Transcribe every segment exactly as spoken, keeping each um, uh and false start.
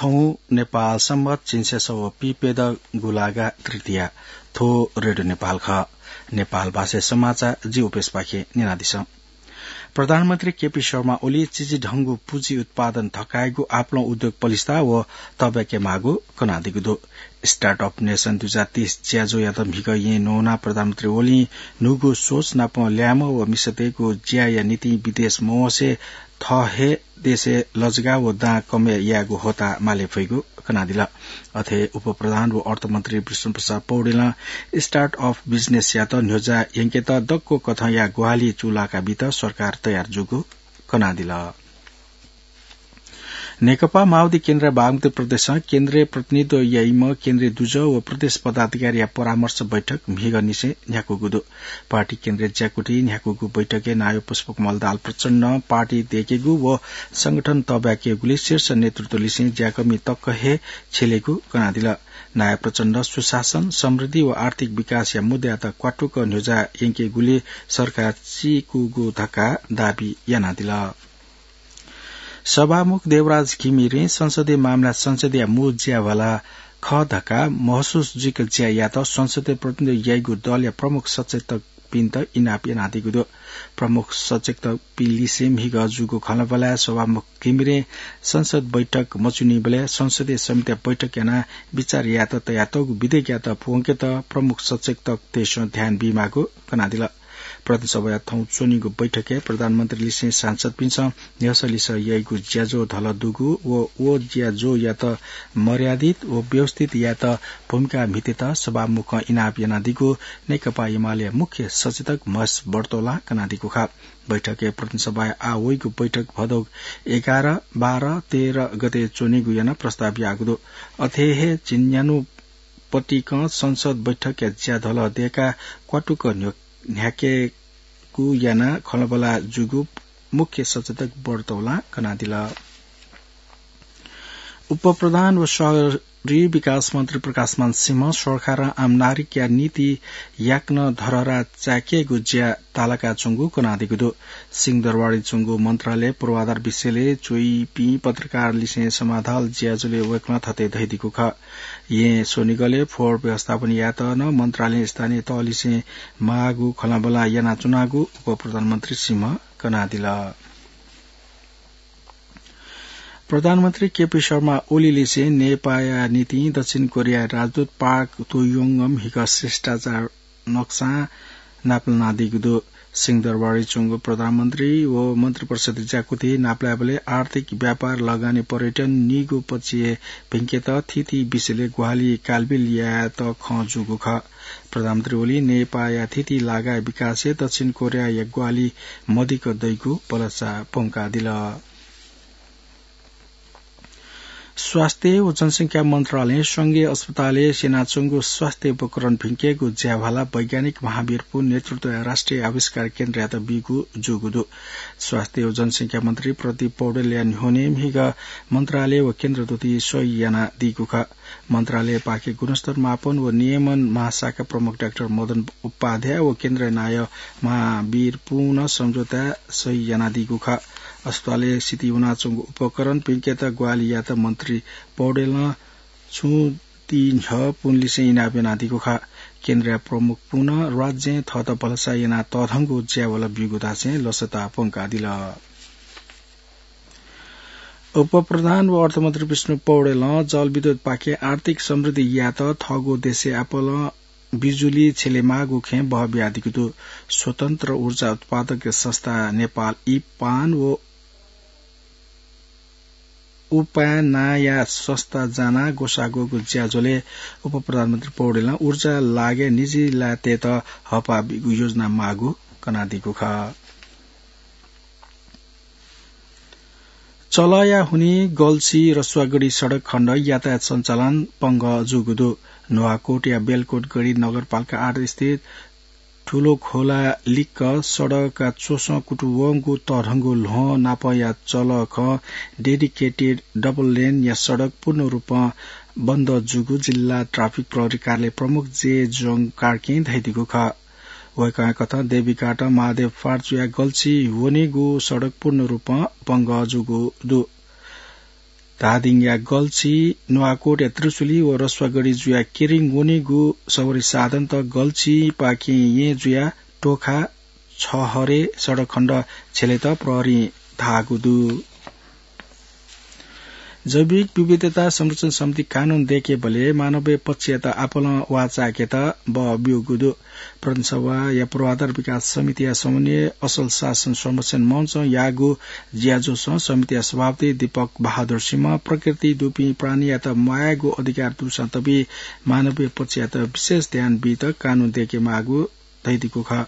नेपाल सम्बत झिंछसः व पीप्यदँ गुंलागा तृतीया। थ्व रेडियो नेपाल खः। नेपाल भाषाय् समाचार जि उपेशपाखें न्यनादिसँ। प्रधानमन्त्री केपी शर्मा ओलीं चिचिधंगु पुँजी उत्पादन थकायेगु, आपालं उद्योग पलिस्था व तःब्याकेमाःगु कनादीगु दु। Startup Nation दुई हजार तेइस ज्याझ्वःयात म्हिगः येँ न्वनाः प्रधानमन्त्री ओलीं न्हूगु सोच नाप ल्याय्म्ह व मिसातय्गु ज्याया निंतिं विदेश मवंसे थः हे देशय् लजगाः व दां कमय् यायेगु होता माले फइगु कनादिल। अथे उपप्रधान व अर्थमन्त्री विष्णुप्रसाद पौडेलं Startup Business यात न्ह्यज्याः यंकेत दक्व कथंया ग्वाहालि चूलाका बीत सरकार तयार जूगु कनादिल। नेकपा माओवादी केन्द्रया बागमती प्रदेशं केन्द्रय् प्रतिनिधित्व याइम्ह केन्द्रीय दुजः व प्रदेश पदाधिकारीया परामर्श बैठक म्हिगःनिसें न्ह्याकूगु दु। पार्टी केन्द्रीय ज्याकुथिइ न्ह्याकूगु बैठकय् नायः पुष्पकमल दाहाल प्रचण्डं पार्टी दय्केगु व संगठन तःब्याकेगुली शीर्ष नेतृत्वलिसें ज्याकःमि तक हे छ्यलेगु कनादिल। नायः प्रचण्डं सुशासन, समृद्धि व आर्थिक विकासया मुद्दायात क्वातुक न्ह्यज्याः यंकेगुली सरकार चीकूगु धकाः दाबी यानादिल। सभामुख देवराज घिमिरें संसदीय मामला संसदया मू ज्याभाला खः धकाः महसुस जुइक ज्या यात संसदय् प्रतिनिधित्व याइगु दलया प्रमुख सचेतकपिन्त इनाप यानादीगु दु। प्रमुख सचेतकपिं लिसें म्हिगः जूगु खँल्हाबल्हाय् सभामुख घिमिरें संसद बैठक मच्वनीबलय् संसदीय समितिया बैठक यानाः बिचाः यायेत तयातःगु विधेयकयात प्वंकेत प्रमुख सचेतकतय्सं ध्यान बीमाःगु कनादिल। प्रतिनिधि सभाया थौं च्वनीगु बैठकय् प्रधानमन्त्रीलिसें सांसदपिन्सं न्ह्यसः लिसः याइगु ज्याझ्वः धलः दुगु व व ज्याझ्वःयात मर्यादित व व्यवस्थित यायेत भूमिका म्हितेत सभामुखं इनाप यानादीगु नेकपा एमालेया मुख्य सचेतक महेश बर्तोलां कनादीगु खः। बैठकय् प्रतिनिधि सभाया आः वइगु बैठक भदौ एघार, बाह्र, तेह्र गते च्वनीगु यानाः प्रस्ताव याःगु दु। अथे हे झिंन्यान्हु पतिकं संसद बैठकया ज्या धलः दय्काः क्वातुक न्ह्यो-, न्ह्याकेगु यानाः खँल्हाबल्हा जूगु मुख्य सचेतक बर्तोलां कनादिल। उपप्रधान व शहरी विकास मन्त्री प्रकाशमान सिंहं सरकारं आम नागरिकया निंतिं याकनं धरहरा चाय्केगु ज्या तालाकाच्वंगु कनादीगु दु। सिंहदरबारय् च्वंगु मन्त्रालय पूर्वाधार विषयलय् च्वइपिं पत्रकारलिसें समाधाल ज्याझ्वलय् वय्कलं थथे धयादीगु खः। येँ स्वनिगलय् फोहोर व्यवस्थापन यायेत नं मन्त्रालयं स्थानीय तहलिसें माःगु खँल्हाबल्हा यानाच्वनागु उपप्रधानमन्त्री सिंहं कनादिल। प्रधानमन्त्री केपी शर्मा ओलीलिसें नेपाःया निंतिं दक्षिण कोरियाया राजदूत पार्क तोयोङं म्हिगः शिष्टाचार नक्सां नापलानादीगु दु। सिंहदरबारय् च्वंगु प्रधानमन्त्री व मन्त्रिपरिषद ज्याकुथिइ नापलायेबलय् आर्थिक, व्यापार, लगानी, पर्यटन निगू पक्षय् भिंकेत थीथी विषयलय् ग्वाहालि कालबिल यायेत खँ जूगु खः। प्रधानमन्त्री ओलीं नेपाःया थीथी लागाया विकासय् दक्षिण कोरियाया ग्वाहालि मदिक्क दइगु भलसा प्वंकादिल। स्वास्थ्य व जनसंख्या मन्त्रालयं संघीय अस्पतालय् स्यनाच्वंगु स्वास्थ्य उपकरण भिंकेगु ज्याभाला वैज्ञानिक महावीर पुन नेतृत्वया राष्ट्रिय आविष्कार केन्द्रयात बीगु जूगु दु। स्वास्थ्य व जनसंख्या मन्त्री प्रदीप पौडेलया न्ह्यःने म्हिगः मन्त्रालय व केन्द्रदूतय् सही यानादीगु खः। मन्त्रालयपाखें गुणस्तर मापन व नियमन महाशाखा प्रमुख डाक्टर मदन उपाध्याय व केन्द्रया नायः महावीर पुनं सम्झौताय् सही यानादीगु खः। अस्पतालय् सितिं वनाच्वंगु उपकरण भिंकेत ग्वाहालि यायेत मन्त्री पौडेलं छुं ति न्ह्यः पुनलिसें इनाप यानादीगु खः। केन्द्रया प्रमुख पुनं राज्यं थःत भलसा यानाः तःधंगु ज्याभाला ब्यूगु धासें लसता प्वंकादिल। उपप्रधान व अर्थमन्त्री विष्णु पौडेलं जलविद्युतपाखें आर्थिक समृद्धि यायेत थःगु देशय् आपालं बिजुली छ्यलेमाःगु खँय् बहः बियादीगु दु। स्वतन्त्र ऊर्जा उत्पादक संस्था नेपाल इपान व उपायनाया संस्था जानाः ग्वसाः ग्वःगु ज्याझ्वलय् उपप्रधानमन्त्री पौडेलं ऊर्जा लागय् निजी लाय्तय्त हःपाः बीगु योजना माःगु कनादीगु खः। चलःया हुनिं गल्छी रसुवागढी सडक खण्ड यातायात सञ्चालन पंगः जूगु दु। नुवाकोटया बेलकोट गढी नगरपालिका आठ स्थित ठूलो खोला लिक्क सडकया च्वसं कुतुवंगु तःधंगु ल्वहं नापया चलःखं dedicated double lane या सडक पूर्ण रूपं बन्द जूगु जिल्ला ट्राफिक प्रहरी कार्यालय प्रमुख जे जोङ कार्कीं धयादीगु खः। वय्कःया कथं देवीघाटं महादेव फार्चुया गल्छी वनेगु सडक पूर्ण रूपं पंगः जूगु दु। धादिङया गल्छी, नुवाकोटया त्रिशुली व रसुवागढी जुया केरिङ वनेगु सवारी साधनत गल्छीपाखें येँ जुया टोखा छहरे सडक खण्ड छेलेत प्रहरीं धाःगु दु। जैविक विविधता संरक्षण समिति कानून दय्‌केबलय् मानवीय पक्षयात आपालं वाःचाय्‌केत बः ब्यूगु दु। प्रदेश सभाया पूर्वाधार विकास समितिया समन्वय असल शासन संरक्षण मञ्चं याःगु ज्याझ्वलय् समितिया सभापति दीपक बहादुर सिंह प्रकृति दुपिं प्राणीयात म्वायेगु अधिकार दुसां तबि मानवीय पक्षयात विशेष ध्यान बीत कानून दय्‌के माःगु धइदिगु खः।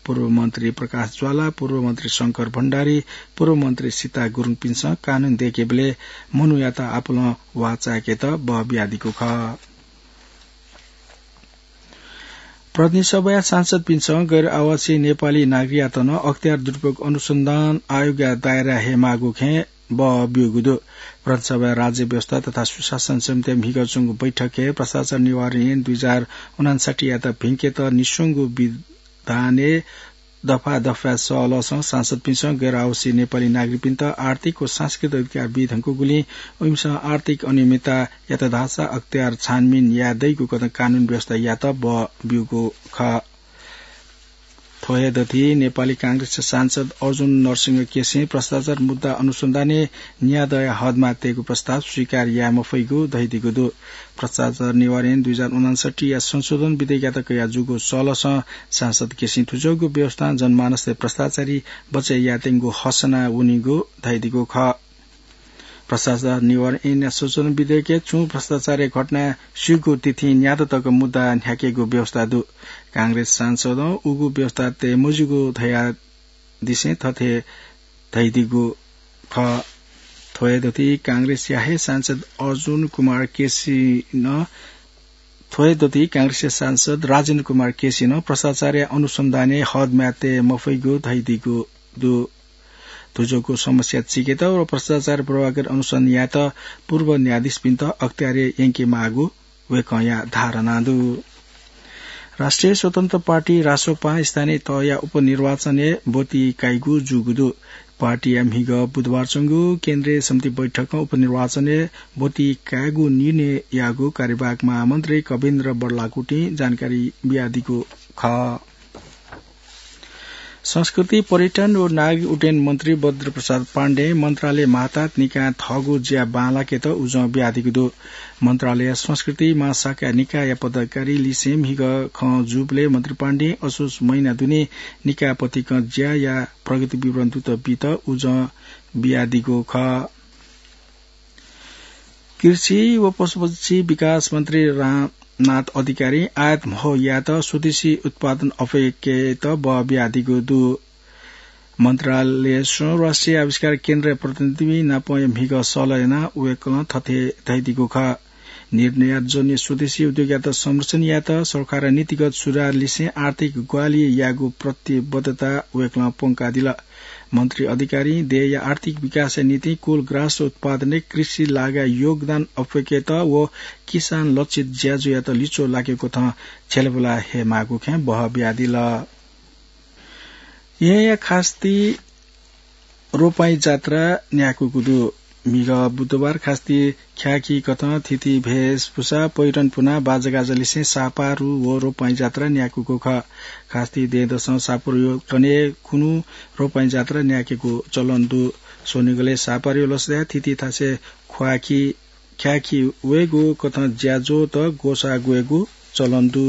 पूर्व मन्त्री प्रकाश ज्वाला, पूर्व मन्त्री शंकर भण्डारी, पूर्व मन्त्री सीता गुरुङपिन्सं कानून दय्‌केबलय् मनूयात आपालं वाःचाय्‌केत बः बियादिगु खः। प्रतिनिधि सभाया सांसदपिन्सं गैर आवासीय नेपाली नागरिकयात नं अख्तियार दुरुपयोग अनुसन्धान आयोगया दायरा हयेमाःगु खँय् बः ब्यूगु दु। प्रतिनिधि सभाया राज्य व्यवस्था तथा सुशासन समितिया म्हिगः च्वंगु बैठकय् भ्रष्टाचार निवारण ऐन दुई हजार उनान्सठ्ठीयात भिंकेत निस्वंगु विधानय् दफा दफाया सहलहसं सांसदपिन्सं गैर आवासीय नेपाली नागरिकपिन्त आर्थिक व सांस्कृतिक अधिकार बी धुंकूगुलिं उमिसं आर्थिक अनियमितता यात धाःसा अख्तियार छानबिन याये दइगु कथं कानून व्यवस्था यात बः ब्यूगु खः। थ्व हे दथि नेपाली कांग्रेसया सांसद अर्जुन नरसिंह केसीं भ्रष्टाचार मुद्दा अनुसन्धानय् न्यादँया हदमा तयेगु प्रस्ताव स्वीकार याये मफइगु धइदिगु दु। भ्रष्टाचार निवारण ऐन दुई हजार उनान्सठ्ठीया संशोधन विधेयकयात कयाः जूगु सहलहसं सांसद केसीं थुज्वःगु व्यवस्थां जनमानसय् भ्रष्टाचारी बचय् यायेत्यंगु हसना वनीगु धइदिगु खः। भ्रष्टाचार निवारण ऐनया संशोधन विधेयकय् छुं भ्रष्टाचारया घटना स्यूगु तिथिं न्यादँ तक मुद्दा न्ह्याकेगु व्यवस्था दु। कांग्रेस सांसदं उगु व्यवस्था तये मज्यूगु धयादिसें थथे धइदिगु खः। थ्व हे दथि कांग्रेसया हे सांसद अर्जुन कुमार केसीनं, थ्व हे दथि कांग्रेसया सांसद राजेन्द्र कुमार केसीनं भ्रष्टाचारया अनुसन्धानय् हदमा तये मफइगु धइदिगु दु। थुज्वःगु समस्या चीकेत व भ्रष्टाचार पूर्वाग्रह अनुसन्धान यायेत पूर्व न्यायाधीशपिन्त अख्तियार यंके माःगु वय्‌कःया धारणा दु। राष्ट्रिय स्वतन्त्र पार्टी रासोपां स्थानीय तहया उपनिर्वाचनय् ब्वति काइगु जूगु दु। पार्टीया म्हिगः बुधबार च्वंगु केन्द्रीय समिति बैठकं उपनिर्वाचनय् ब्वति कायेगु निर्णय याःगु कार्यवाहक महामन्त्री कविन्द्र बडलाकुटिं जानकारी बियादीगु खः। संस्कृति, पर्यटन व नागरिक उड्डयन मन्त्री बद्र प्रसाद पाण्डें मन्त्रालय मातहत निकायं थःगु ज्या बांलाकेत उजं बियादीगु दु। मन्त्रालय संस्कृति महाशाखा निकायया पदाधिकारी लिसें म्हिगः खँ जूबलय् मन्त्री पाण्डें असोज महिना दुने निकाय पतिकं ज्याया प्रगति विवरण दुत बीत उजं बियादीगु खः। कृषि व पशुपक्षी विकास मन्त्री रामनाथ अधिकारीं आयात म्हो यायेत स्वदेशी उत्पादन अप्वय्‌केत बः बियादीगु दु। मन्त्रालयसं राष्ट्रिय आविष्कार केन्द्रया प्रतिनिधि नापं म्हिगः सहलह यानाः वय्‌कलं थथे धयादीगु खः। निर्यातजन्य स्वदेशी उद्योगयात संरक्षण यायेत सरकारया नीतिगत सुधार लिसें आर्थिक ग्वाहालि यायेगु प्रतिबद्धता वय्‌कलं प्वंकादिल। मन्त्री अधिकारीं देय्‌या आर्थिक विकासया निंतिं कुलग्रास उत्पादनय् कृषि लागाय् योगदान अप्वय्‌केत व किसान लक्षित ज्याझ्वःयात लिच्वः लाकेगु कथं छ्यलाबुला हयेमाःगु खँय् बः बियादिल। येँया खास्ति रोपाइँ जात्रा न्याकूगु दु। म्हिगः बुधबार खास्ति ख्याःखि कथं थीथी भेषभुषा, पहिरन पुनाः बाजागाजा लिसें सापारु व रोपाइँ जात्रा न्याकूगु खः। खास्ति दँय्‌दसं सापारुया कन्हय् खुन्हु रोपाइँ जात्रा न्याकेगु चलन दु। स्वनिगलय् सापारुया लसताय् थीथी थासय् ख्वाःखि ख्याःखि वयेगु कथं ज्याझ्वःत ग्वसाः ग्वयेगु चलन दु।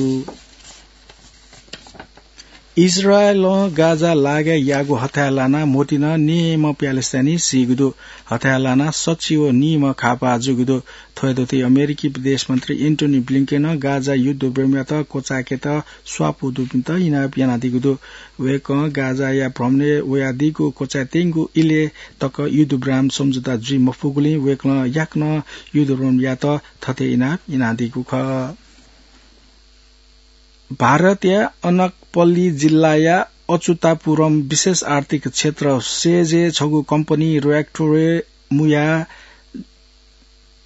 इजरायलं गाजा लागाय् याःगु हथाय् लानाः म्होतिं निम्ह प्यालेस्तानी सीगु दु। हथाय् लानाः सच्छि व निम्ह घाःपाः जूगु दु। थ्व हे दथुइ अमेरिकी विदेश मन्त्री एन्टोनी ब्लिंकेनं गाजा युद्धविरामयात क्वचाय्‌केत स्वापू दुपिन्त इनाप यानादीगु दु। वय्‌कलं गाजाया भ्रमणय् वयादीगु क्वचाय्‌त्यंगु इलय् तक युद्धविराम सम्झौता जुइ मफुगुलिं वय्‌कलं याकनं युद्धविराम यायेत थथे इनाप यानादीगु खः। भारतया अनकपल्ली जिल्लाया अच्युतापुरम विशेष आर्थिक क्षेत्र सेजय् छगू कम्पनी रियाक्टरय् मुयाः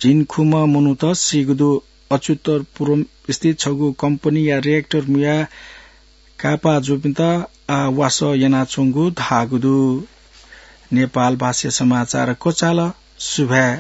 झिंखुम्ह मनूत सीगु दु। अच्युतापुरम स्थित छगू कम्पनीया रियाक्टर मुयाः घाःपाः जूपिन्त आः वासः यानाच्वंगु धाःगु दु। नेपाल भाषाया समाचार क्वचाल। सुभाय्।